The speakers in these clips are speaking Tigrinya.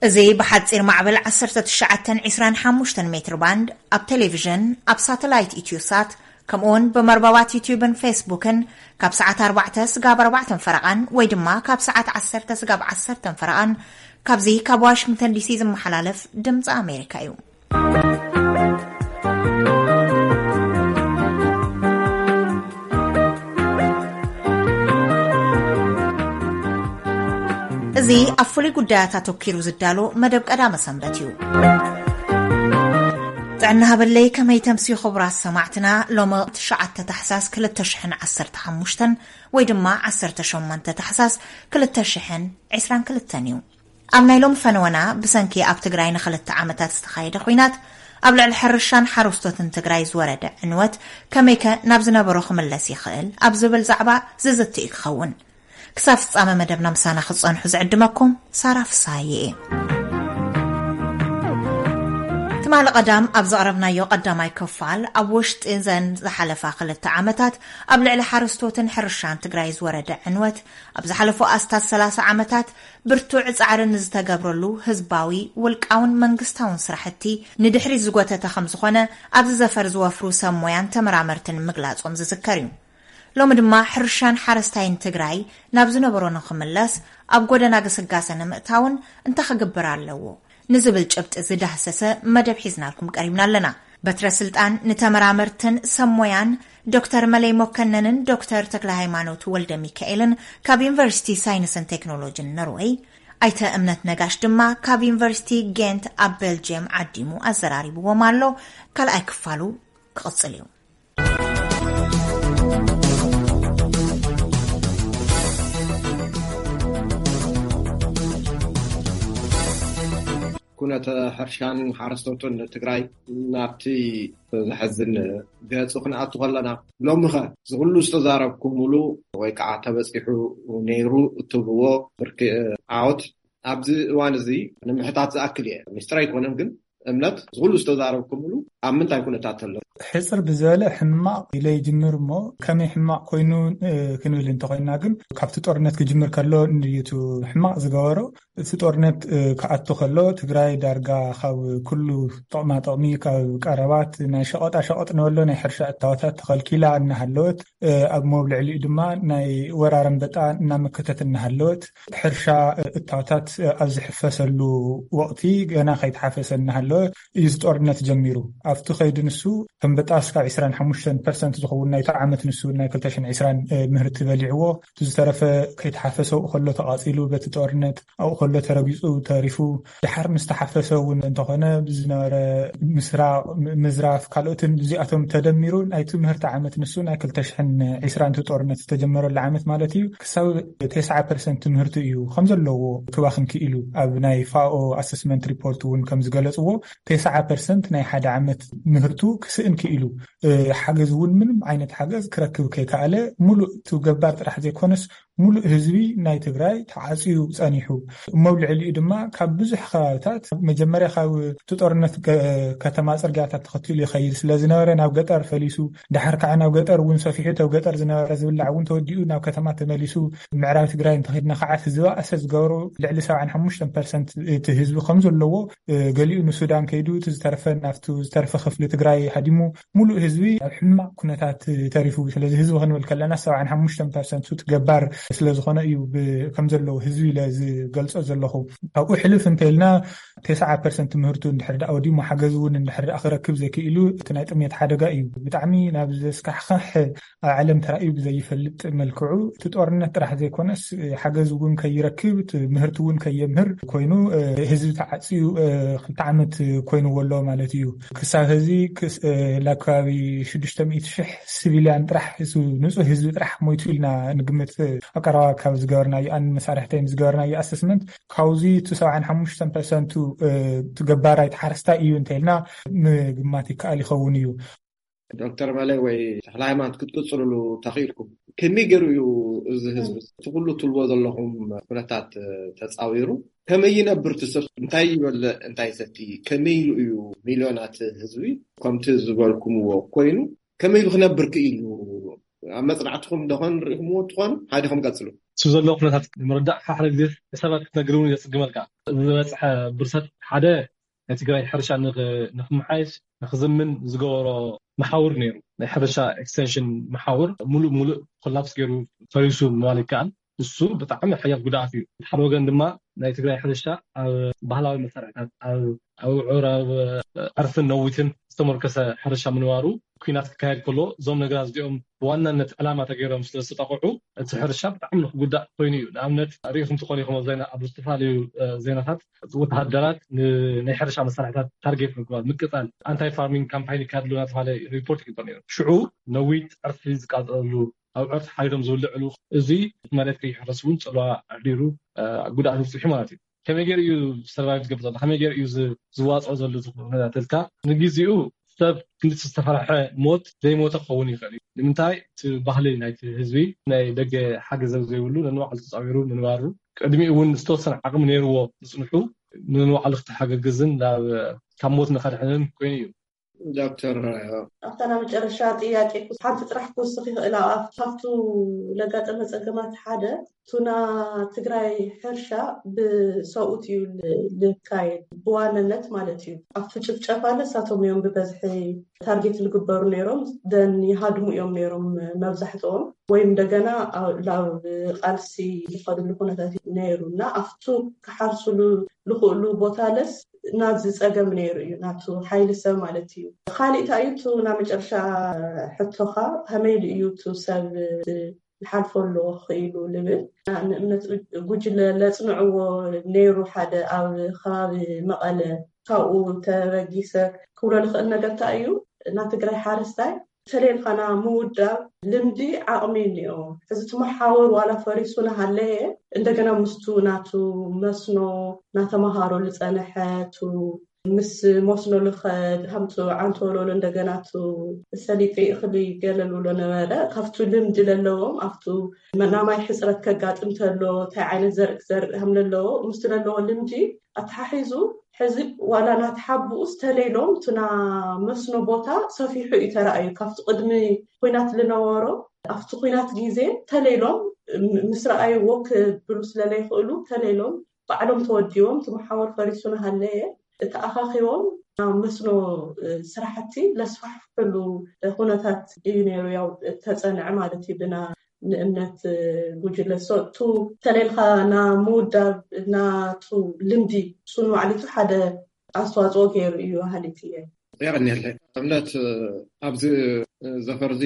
እዚ ብሓጺር ማዕበል ዓሰርተ ትሽዓተ ዕስራን ሓሙሽተን ሜትር ባንድ፣ ኣብ ቴሌቪዥን፣ ኣብ ሳተላይት ኢትዮሳት፣ ከምኡውን ብመርበባት ዩትዩብን ፌስቡክን ካብ ሰዓት ኣርባዕተ ስጋብ ኣርባዕተን ፈረቓን ወይ ድማ ካብ ሰዓት ዓሰርተ ስጋብ ዓሰርተን ፈረቓን ካብዚ ካብ ዋሽንግተን ዲሲ ዝመሓላለፍ ድምፂ ኣሜሪካ እዩ። እዚ ኣብ ፍሉይ ጉዳያት ኣተኪሩ ዝዳሎ መደብ ቀዳመ ሰንበት እዩ። ጥዕና ሃበለይ፣ ከመይ ተምስዩ ክቡራት ሰማዕትና? ሎሚ ትሽዓተ ታሕሳስ ክልተ ሽሕን ዓሰርተ ሓሙሽተን ወይ ድማ ዓሰርተ ሸሞንተ ታሕሳስ ክልተ ሽሕን ዕስራን ክልተን እዩ። ኣብ ናይ ሎሚ ፈነወና፣ ብሰንኪ ኣብ ትግራይ ንክልተ ዓመታት ዝተኻየደ ኹናት ኣብ ልዕሊ ሕርሻን ሓረስቶትን ትግራይ ዝወረደ ዕንወት ከመይከ ናብ ዝነበሮ ክምለስ ይኽእል ኣብ ዝብል ዛዕባ ዝዝቲ እዩ ክኸውን። ክሳብ ፍጻመ መደብና ምሳና ክትጸንሑ ዝዕድመኩም ሳራ ፍስሃየ እየ። ትማሊ ቀዳም ኣብ ዘቕረብናዮ ቀዳማይ ክፋል፣ ኣብ ውሽጢ ዘን ዝሓለፋ ክልተ ዓመታት ኣብ ልዕሊ ሓረስቶትን ሕርሻን ትግራይ ዝወረደ ዕንወት፣ ኣብ ዝሓለፉ ኣስታት ሰላሳ ዓመታት ብርቱዕ ጻዕሪ ንዝተገብረሉ ህዝባዊ፣ ውልቃውን መንግስታውን ስራሕቲ ንድሕሪት ዝጎተተ ከም ዝኾነ ኣብዚ ዘፈር ዝወፍሩ ሰብ ሞያን ተመራመርትን ምግላጾም ዝዝከር እዩ። ሎሚ ድማ ሕርሻን ሓረስታይን ትግራይ ናብ ዝነበሮ ንኽምለስ ኣብ ጎደና ግስጋሰ ንምእታውን እንታይ ክግበር ኣለዎ ንዝብል ጭብጢ ዝዳህሰሰ መደብ ሒዝናልኩም ቀሪብና ኣለና። በትረ ስልጣን ንተመራመርትን ሰብ ሞያን ዶክተር መለይ መኮነንን ዶክተር ተክለ ሃይማኖት ወልደ ሚካኤልን ካብ ዩኒቨርሲቲ ሳይንስን ቴክኖሎጂን ኖርወይ፣ ኣይተ እምነት ነጋሽ ድማ ካብ ዩኒቨርሲቲ ጌንት ኣብ ቤልጅየም ዓዲሙ ኣዘራሪብዎም ኣሎ። ካልኣይ ክፋሉ ክቕጽል እዩ። ኩነተ ሕርሻን ሓረስቶትን ትግራይ ናብቲ ዘሐዝን ገጹ ክንኣቱ ከለና፣ ሎሚ ኸ ዝኹሉ ዝተዛረብኩምሉ ወይ ከዓ ተበጺሑ ነይሩ እትብልዎ ብርኪ ዓወት ኣብዚ እዋን እዚ ንምሕታት ዝኣክል እየ። ሚስጥር ኣይኮነን፣ ግን እምነት ዝኹሉ ዝተዛረብኩምሉ ኣብ ምንታይ ኩነታት ኣሎ? ሕጽር ብዝበለ ሕማቕ ኢለ ይጅምር እሞ፣ ከመይ ሕማቕ ኮይኑ፣ እ፣ ክንብል እንተኾይና ግን፣ ካብቲ ጦርነት ክጅምር ከሎ እንድዩ እቲ ሕማቕ ዝገበሮ። እቲ ጦርነት፣ እ፣ ክኣቱ ከሎ ትግራይ ዳርጋ ካብ ኩሉ ጥቕማ ጥቕሚ፣ ካብ ቀረባት ናይ ሸቐጣ ሸቐጥ ንበሎ ናይ ሕርሻ እታወታት ተኸልኪላ እናሃለወት፣ እ፣ ኣብ መብልዕሊኡ ድማ ናይ ወራር ኣንበጣ እናመከተት እናሃለወት፣ ሕርሻ፣ እ፣ እታወታት፣ እ፣ ኣብ ዝሕፈሰሉ ወቕቲ፣ ገና ከይተሓፈሰ እናሃለወ እዩ እዚ ጦርነት ጀሚሩ። ኣብቲ ከይዲ ንሱ ኣንበጣ እስካብ ዕስራን ሓሙሽተን ፐርሰንት ዝኸውን ናይቲ ዓመት ንሱ ናይ ክልተ ሽሕን ዕስራን፣ እ፣ ምህርቲ በሊዕዎ። እቲ ዝተረፈ ከይተሓፈሰ ኣብኡ ከሎ ተቓጺሉ በቲ ጦርነት፣ ኣብኡ ከሎ ተረጊጹ ተሪፉ። ድሓር ምስ ተሓፈሰ እውን እንተኾነ ብዝነበረ ምስራቕ፣ ም-፣ ምዝራፍ፣ ካልኦትን እዚኣቶም ተደሚሩ ናይቲ ምህርቲ ዓመት ንሱ ናይ ክልተ ሽሕን ዕስራን እቲ ጦርነት ዝተጀመረሉ ዓመት ማለት እዩ። ክሳብ ተስዓ ፐርሰንት ምህርቱ እዩ ከም ዘለዎ ክባኽን ክኢሉ። ኣብ ናይ ፋኦ ኣሰስመንት ሪፖርት እውን ከም ዝገለጽዎ፣ ተስዓ ፐርሰንት ናይ ሓደ ዓመት ምህርቱ ክስእን ክኢሉ። እ፣ ሓገዝ እውን ምንም ዓይነት ሓገዝ ክረክብ ከይከኣለ፣ ሙሉእ እቲ ገባር ጥራሕ ዘይኮነስ፣ ሙሉእ ህዝቢ ናይ ትግራይ ተዓጽዩ ጸኒሑ። እሞ ኣብ ልዕሊኡ ድማ ካብ ብዙሕ ከባብታት፣ መጀመርያ ካብ እቲ ጦርነት ገ-፣ ከተማ ጽርግያታት ተኸቲሉ ይኸይድ ስለ ዝነበረ፣ ናብ ገጠር ፈሊሱ፣ ድሓር ከዓ ናብ ገጠር እውን ሰፊሑ፣ እተብ ገጠር ዝነበረ ዝብላዕ እውን ተወዲኡ ናብ ከተማ ተመሊሱ። ምዕራብ ትግራይ እንተኸድና ከዓ፣ እቲ ዝበኣሰ ዝገበሮ፣ ልዕሊ ሰብዓን ሓሙሽተን ፐርሰንት እቲ ህዝቢ ከም ዘለዎ፣ እ፣ ገሊኡ ንሱዳን ከይዱ፣ እቲ ዝተረፈ ናብቲ ዝተረፈ ክፍሊ ትግራይ ሃዲሙ፣ ሙሉእ ህዝቢ ኣብ ሕማቕ ኩነታት ተሪፉ። ስለዚ ህዝቢ ክንብል ከለና፣ ሰብዓን ሓሙሽተን ፐርሰንት እቲ ገባር ስለ ዝኾነ እዩ ብ-፣ ከም ዘለዎ ህዝቢ ኢለ ዝገልጾ ዘለኹ። ካብኡ ሕልፍ እንተኢልና፣ ተስዓ ፐርሰንት ምህርቱ እንድሕር ደኣ ወዲሙ፣ ሓገዝ እውን እንድሕር ደኣ ክረክብ ዘይክኢሉ፣ እቲ ናይ ጥሜት ሓደጋ እዩ። ብጣዕሚ ናብ ዘስካሕክሕ ኣብ ዓለም ተራእዩ ብዘይፈልጥ መልክዑ፣ እቲ ጦርነት ጥራሕ ዘይኮነስ፣ ሓገዝ እውን ከይረክብ፣ እቲ ምህርቲ እውን ከየምህር ኮይኑ፣ እ፣ ህዝቢ ተዓጽዩ፣ እ፣ ክልተ ዓመት ኮይንዎ ኣሎ ማለት እዩ። ክሳብ ሕዚ ክስ-፣ እ፣ ላብ ከባቢ ሽዱሽተ ሚእቲ ሽሕ ሲቪልያን ጥራሕ፣ ህዝቢ፣ ንጹህ ህዝቢ ጥራሕ ሞይቱ ኢልና ንግምት። ኣብ ቀረባ ካብ ዝገበርናዮ፣ ኣን መሳርሕተይን ዝገበርናዮ ኣሰስመንት፣ ካብዚ እቲ ሰብዓን ሓሙሽተን ፐርሰንቱ፣ እ፣ እቲ ገባራይ፣ እቲ ሓረስታይ እዩ እንተኢልና ምግማት ይከኣል ይኸውን እዩ። ዶክተር መለይ ወይ ተኽለ ሃይማኖት፣ ክትቅጽልሉ ተኽኢልኩም፣ ከመይ ገይሩ እዩ እዚ ህዝቢ፣ እቲ ኩሉ ትብልዎ ዘለኹም ኩነታት ተጻዊሩ፣ ከመይ ይነብር እቲ ሰብ? እንታይ ይበልዕ፣ እንታይ ይሰቲ? ከመይ ኢሉ እዩ ሚልዮናት ህዝቢ፣ ከምቲ ዝበልኩምዎ ኮይኑ፣ ከመይ ኢሉ ክነብር ክኢሉ? ኣብ መጽናዕትኹም ደኾን ርኢኹምዎ ትኾኑ? ሓዲኹም ቀጽሉ። እሱ ዘሎ ኩነታት ንምርዳእ ሓደ ግዜ ሰባት ክትነግር እውን የፅግመልካ። ዝበፅሐ ብርሰት ሓደ ናይ ትግራይ ሕርሻ ንክ- ንክመሓየሽ ንክዝምን ዝገበሮ መሓውር ነይሩ። ናይ ሕርሻ ኤክስቴንሽን መሓውር ሙሉእ ሙሉእ ኮላፕስ ገይሩ ፈሪሱ ምባል ይከኣል። እሱ ብጣዕሚ ሓያል ጉድኣት እዩ። ሓደ ወገን ድማ ናይ ትግራይ ሕርሻ ኣብ ባህላዊ መሳርሕታት ኣብ ኣውዑር ኣብ ዕርፍን ነዊትን ዝተመርከሰ ሕርሻ ምንባሩ ኩናት ክካየድ ከሎ እዞም ነገራት እዚኦም ብዋናነት ዕላማ ተገይሮም ስለዝተጠቕዑ እቲ ሕርሻ ብጣዕሚ ንክጉዳእ ኮይኑ እዩ። ንኣብነት ሪኢኹም ትኾኑ ኢኹም ኣብ ዜና ኣብ ዝተፈላለዩ ዜናታት ወተሃደራት ናይ ሕርሻ መሳርሕታት ታርጌት ምግባር ምቅፃል ኣንታይ ፋርሚንግ ካምፓይን ይካየድሉ እናተባሃለ ሪፖርት ይግበር ነይሩ። ሽዑ ነዊት ዕርፊ ዝቃፀለሉ ኣብ ዕርፊ ሓሪዶም ዝብልዕሉ እዚ መሬት ከይሕረስ እውን ፅልዋ ኣሕዲሩ ጉድኣት ኣብፂሑ ማለት እዩ። ከመይ ገይሩ እዩ ሰርቫይቭ ዝገብር ዘሎ ከመይ ገይሩ እዩ ዝዋፅኦ ዘሎ ዝኩነታትልካ ንግዜኡ ሰብ ክንዲ ዝተፈራሐ ሞት ዘይሞተ ክኸውን ይኽእል እዩ። ንምንታይ እቲ ባህሊ ናይቲ ህዝቢ ናይ ደገ ሓገዘብ ዘይብሉ ነንባዕሉ ተፃዊሩ ምንባሩ ቅድሚኡ እውን ዝተወሰነ ዓቕሚ ነይርዎ ዝፅንሑ ንንባዕሉ ክተሓገግዝን ካብ ሞት ንኸድሕንን ኮይኑ እዩ። ዶክተር ኣብታ ናብ መጨረሻ ጥያቄ ሓንቲ ጥራሕ ክውስኽ ይኽእል ኣብኣ ካብቱ ለጋጠመ ፀገማት ሓደ ቱና ትግራይ ሕርሻ ብሰብኡት እዩ ልካየድ ብዋነነት ማለት እዩ። ኣብቱ ጭፍጨፋ ንሳቶም እዮም ብበዝሒ ታርጌት ዝግበሩ ነይሮም ደን ይሃድሙ እዮም ነይሮም መብዛሕትኦም ወይም እንደገና ናብ ቃልሲ ዝኸድሉ ኩነታት ነይሩ እና ኣብቱ ክሓርስሉ ዝኽእሉ ቦታ ለስ ናዚ ፀገም ነይሩ እዩ ናቱ ሓይሊ ሰብ ማለት እዩ። ካሊእ እንታይ እዩ እቲ ናብ መጨረሻ ሕቶኻ ከመይ ኢሉ እዩ እቲ ሰብ ዝሓልፎ ኣለዎ ክኽኢሉ ልብል ንእምነት ጉጅለ ለፅንዕዎ ነይሩ ሓደ ኣብ ከባቢ መቐለ ካብኡ ተበጊሰ ክብሎ ልኽእል ነገር እንታይ እዩ ናብ ትግራይ ሓረስታይ ተሌልኻና ምውዳብ ልምዲ ዓቕሚ እኒኦ እዚ ትመሓወር ዋላ ፈሪሱ ናሃለየ እንደገና ምስቱ ናቱ መስኖ ናተመሃሮ ልፀንሐ ቱ ምስ መስኖ ልኸድ ሃምቱ ዓንተወለሎ እንደገና ቱ ሰሊጢ እኽሊ ገለልብሎ ነበረ ካብቱ ልምዲ ለለዎም ኣብቱ ናማይ ሕፅረት ከጋጥም ተሎ እንታይ ዓይነት ዘርኢ ዘርኢ ሃም ለለዎ ምስቱ ለለዎ ልምዲ ኣተሓሒዙ ሕዚ ዋላ ናተሓብኡ ዝተለይሎም ቱና መስኖ ቦታ ሰፊሑ እዩ ተረኣዩ ካብቲ ቅድሚ ኩናት ዝነበሮ ኣብቲ ኩናት ግዜ ተለይሎም ምስ ረኣይዎ ክብሉ ስለለይኽእሉ ተለይሎም ባዕሎም ተወዲቦም እቲ መሓወር ፈሪሱ ናሃለየ ተኣኻኺቦም ናብ መስኖ ስራሕቲ ለስፋሕፍሕሉ ኩነታት እዩ ነይሩ ያው ተፀንዐ ማለት እዩ ብና ንእምነት ጉጅለ so ቱ ተሌልካ ና ምውዳብ ናቱ ልምዲ ሱን ማዕሊቱ ሓደ ኣስተዋፅኦ ገይሩ እዩ ሃሊት እየ። የቐንየለይ እምነት ኣብዚ ዘፈርዚ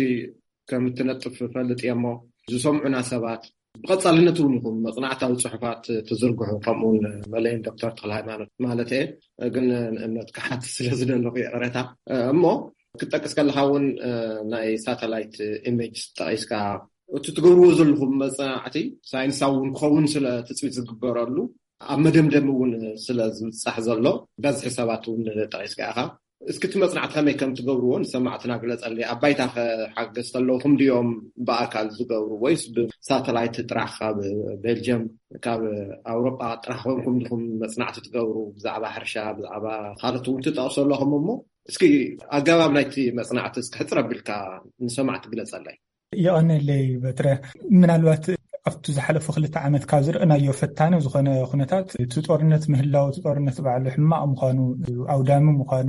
ከም እትነጥፍ ፈልጥ እየ እሞ ዝሰምዑና ሰባት ብቐፃልነት እውን ይኹም መፅናዕታዊ ፅሑፋት ትዝርግሑ ከምኡውን መለይን ዶክተር ተክለ ሃይማኖት ማለት እየ ግን ንእምነት ክሓት ስለ ዝደለኹ ይቕረታ እሞ ክትጠቅስ ከለካ እውን ናይ ሳተላይት ኢሜጅ ጠቂስካ እቲ ትገብርዎ ዘለኹም መፅናዕቲ ሳይንሳዊ እውን ክኸውን ስለ ትፅቢት ዝግበረሉ ኣብ መደምደሚ እውን ስለ ዝብፃሕ ዘሎ በዝሒ ሰባት እውን ጠቂስካ ኢኻ እስኪ እቲ መፅናዕቲ ከመይ ከም ትገብርዎ ንሰማዕትና ግለፀለይ ኣብ ባይታ ሓገዝቲ ኣለውኹም ድዮም ብኣካል ዝገብሩ ወይስ ብሳተላይት ጥራሕ ካብ ቤልጅየም ካብ ኣውሮጳ ጥራሕ ኮንኩም ዲኹም መፅናዕቲ ትገብሩ ብዛዕባ ሕርሻ ብዛዕባ ካልኦት እውን ትጠቕሱ ኣለኹም እሞ እስኪ ኣገባብ ናይቲ መፅናዕቲ እስኪ ሕፅር ኣቢልካ ንሰማዕቲ ግለፀለይ። የቐነለይ በትረ ምናልባት ኣብቲ ዝሓለፉ ክልተ ዓመት ካብ ዝረእናዮ ፈታኒ ዝኾነ ኩነታት እቲ ጦርነት ምህላው እቲ ጦርነት ባዕሉ ሕማቕ ምዃኑ ኣውዳሚ ምዃኑ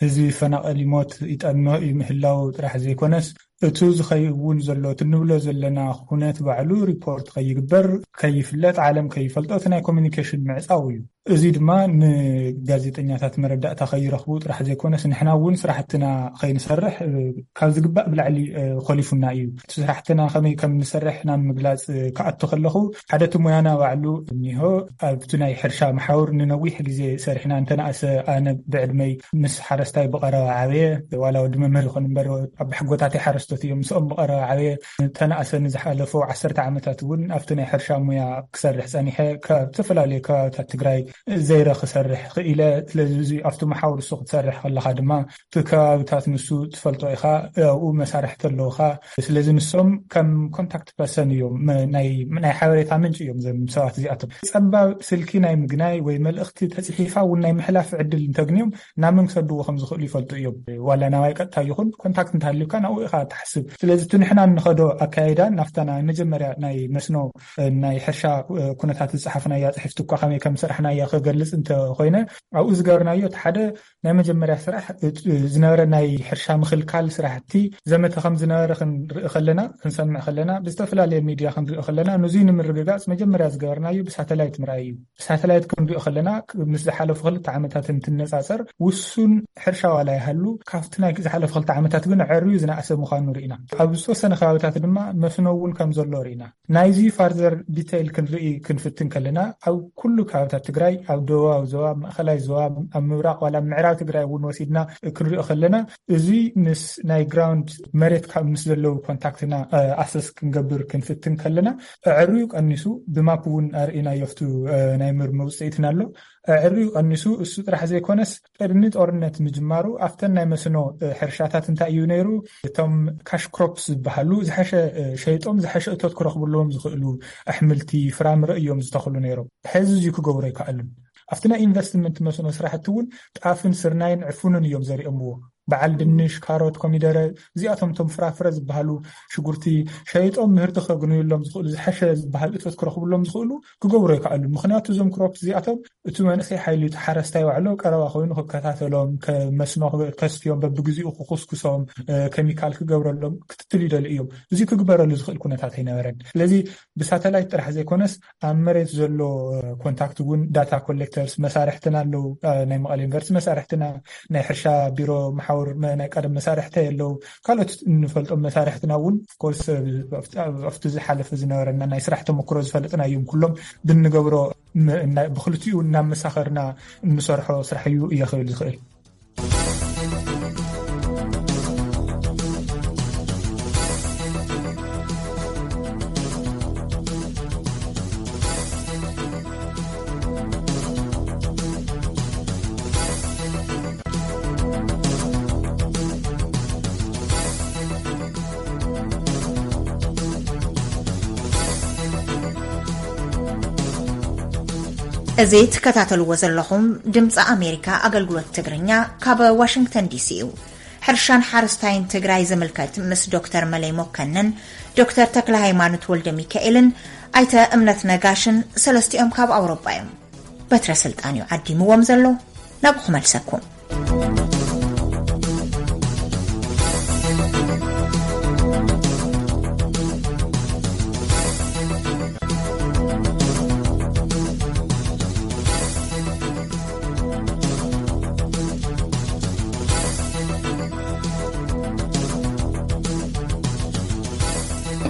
ህዝቢ ይፈናቐል ይሞት ይጠምዕ እዩ ምህላው ጥራሕ ዘይኮነስ እቱ ዝኸውን ዘሎ እቲ ንብሎ ዘለና ኩነት ባዕሉ ሪፖርት ከይግበር ከይፍለጥ ዓለም ከይፈልጦ እቲ ናይ ኮሚኒኬሽን ምዕፃው እዩ። እዚ ድማ ንጋዜጠኛታት መረዳእታ ከይረኽቡ ጥራሕ ዘይኮነስ ንሕና እውን ስራሕትና ከይንሰርሕ ካብ ዝግባእ ብላዕሊ ኮሊፉና እዩ። እቲ ስራሕትና ከመይ ከም ንሰርሕ ናብ ምግላፅ ክኣቱ ከለኹ ሓደ እቲ ሙያና ባዕሉ እኒሆ ኣብቲ ናይ ሕርሻ መሓውር ንነዊሕ ግዜ ሰሪሕና እንተነኣሰ ኣነ ብዕድመይ ምስ ሓረስታይ ብቐረባ ዓበየ ዋላ ወዲ መምህር ይኹን እምበር ኣባሕጎታተይ ሓረስቶት እዮም ምስኦም ብቐረባ ዓበየ እንተነኣሰ ንዝሓለፈው ዓሰርተ ዓመታት እውን ኣብቲ ናይ ሕርሻ ሙያ ክሰርሕ ፀኒሐ ካብ ዝተፈላለዩ ከባብታት ትግራይ ዘይረ ክሰርሕ ክኢለ ስለዚ እዚ ኣብቲ መሓውር እሱ ክትሰርሕ ከለካ ድማ እቲ ከባብታት ንሱ ትፈልጦ ኢኻ ኣብኡ መሳርሕቲ ኣለውካ ስለዚ ንሶም ከም ኮንታክት ፐርሰን እዮም ናይ ሓበሬታ ምንጭ እዮም ዘም ሰባት እዚኣቶም ፀባብ ስልኪ ናይ ምግናይ ወይ መልእክቲ ተፅሒፋ እውን ናይ ምሕላፍ ዕድል እንተግንዮም ናብ መን ክሰድዎ ከም ዝኽእሉ ይፈልጡ እዮም ዋላ ናባይ ቀጥታ ይኹን ኮንታክት እንተሃልዩካ ናብኡ ኢኻ ክሓስብ። ስለዚ እቲ ንሕና እንኸዶ ኣካይዳ ናፍታ ናይ መጀመርያ ናይ መስኖ፣ እ፣ ናይ ሕርሻ፣ እ፣ ኩነታት ዝጸሓፍናያ ጽሕፍቲ እኳ ከመይ ከም ሰራሕናያ ክገልጽ እንተኾይነ፣ ኣብኡ ዝገበርናዮ እቲ ሓደ ናይ መጀመርያ ስራሕ፣ እ፣ ዝነበረ ናይ ሕርሻ ምኽልካል ስራሕቲ ዘመተ ከም ዝነበረ ክንርኢ ከለና፣ ክንሰምዕ ከለና፣ ብዝተፈላለየ ሚድያ ክንርኢ ከለና፣ ንዙይ ንምርግጋጽ መጀመርያ ዝገበርናዮ ብሳተላይት ምርኣይ እዩ። ብሳተላይት ክንሪኦ ከለና፣ ክ-፣ ምስ ዝሓለፉ ክልተ ዓመታት እንትነጻጸር፣ ውሱን ሕርሻ ዋላ ይሃሉ፣ ካብቲ ናይ ዝሓለፉ ክልተ ዓመታት ግን ኣዕርዩ ዝነኣሰ ምዃኑ ርኢና። ኣብ ዝተወሰነ ከባቢታት ድማ መስኖ እውን ከም ዘሎ ርኢና። ናይዚ ፋርዘር ዲተይል ክንርኢ ክንፍትን ከለና፣ ኣብ ኩሉ ከባቢታት ትግራይ፣ ኣብ ደቡባዊ ዞባ፣ ኣብ ማእኸላይ ዞባ፣ ኣብ ምብራቕ ዋላ ኣብ ምዕራብ ትግራይ እውን ወሲድና ክንሪኦ ከለና፣ እዚ ምስ ናይ ግራውንድ መሬት ካብ ምስ ዘለዉ ኮንታክትና፣ እ፣ ኣሰስ ክንገብር ክንፍትን ከለና፣ ኣዕርዩ ቀኒሱ፣ ብማፕ እውን ኣርኢናዮ፣ ኣብቲ፣ እ፣ ናይ ምርምር ውፅኢትና ኣሎ። ኣዕርዩ ቀኒሱ፣ እሱ ጥራሕ ዘይኮነስ፣ ቅድሚ ጦርነት ምጅማሩ ኣብተን ናይ መስኖ፣ እ፣ ሕርሻታት እንታይ እዩ ነይሩ? እቶም ካሽ ክሮፕስ ዝበሃሉ ዝሓሸ፣ እ፣ ሸይጦም ዝሓሸ እቶት ክረኽብሎም ዝኽእሉ ኣሕምልቲ፣ ፍራምረ እዮም ዝተኽሉ ነይሮም። ሕዚ እዚ ክገብሩ ኣይከኣሉን። ኣብቲ ናይ ኢንቨስትመንት መስኖ ስራሕቲ እውን ጣፍን ስርናይን ዕፉንን እዮም ዘሪኦምዎ። በዓል ድንሽ፣ ካሮት፣ ኮሚደረ፣ እዚኣቶም እቶም ፍራፍረ ዝበሃሉ፣ ሽጉርቲ፣ ሸይጦም ምህርቲ ከግንዩሎም ዝኽእሉ፣ ዝሓሸ ዝበሃል እቶት ክረኽብሎም ዝኽእሉ ክገብሩ ኣይከኣሉን። ምኽንያቱ እዞም ክሮፕ እዚኣቶም እቲ መንእሰይ ሓይሊ፣ እቲ ሓረስታይ ባዕሉ ቀረባ ኮይኑ ክከታተሎም፣ ከ-፣ መስኖ ከስትዮም፣ በብግዚኡ ክኹስኩሶም፣ እ፣ ኬሚካል ክገብረሎም ክትትል ይደልዩ እዮም። እዚ ክግበረሉ ዝኽእል ኩነታት ኣይነበረን። ስለዚ ብሳተላይት ጥራሕ ዘይኮነስ ኣብ መሬት ዘሎ፣ እ፣ ኮንታክት እውን ዳታ ኮሌክተርስ መሳርሕትና ኣለዉ። እ፣ ናይ መቐለ ዩኒቨርሲቲ መሳርሕትና፣ ናይ ሕርሻ ቢሮ መሓውር መ-፣ ናይ ቀደም መሳርሕቲ ኣለዉ። ካልኦት እንፈልጦም መሳርሕትና እውን፣ ኦፍኮርስ፣ እ፣ ኣብቲ፣ ኣብቲ ዝሓለፈ ዝነበረና ናይ ስራሕ ተመክሮ ዝፈለጥና እዮም። ኩሎም ብንገብሮ ም-፣ እና-፣ ብክልቲኡ እናመሳኸርና እንሰርሖ ስራሕ እዩ እየ ክብል ዝኽእል። እዚ ትከታተልዎ ዘለኹም ድምፂ ኣሜሪካ ኣገልግሎት ትግርኛ ካብ ዋሽንግተን ዲሲ እዩ። ሕርሻን ሓረስታይን ትግራይ ዝምልከት ምስ ዶክተር መለይ መኮንን፣ ዶክተር ተክለ ሃይማኖት ወልደ ሚካኤልን ኣይተ እምነት ነጋሽን፣ ሰለስቲኦም ካብ ኣውሮጳ እዮም። በትረ ስልጣን እዩ ዓዲምዎም ዘሎ። ናብኡ ክመልሰኩም።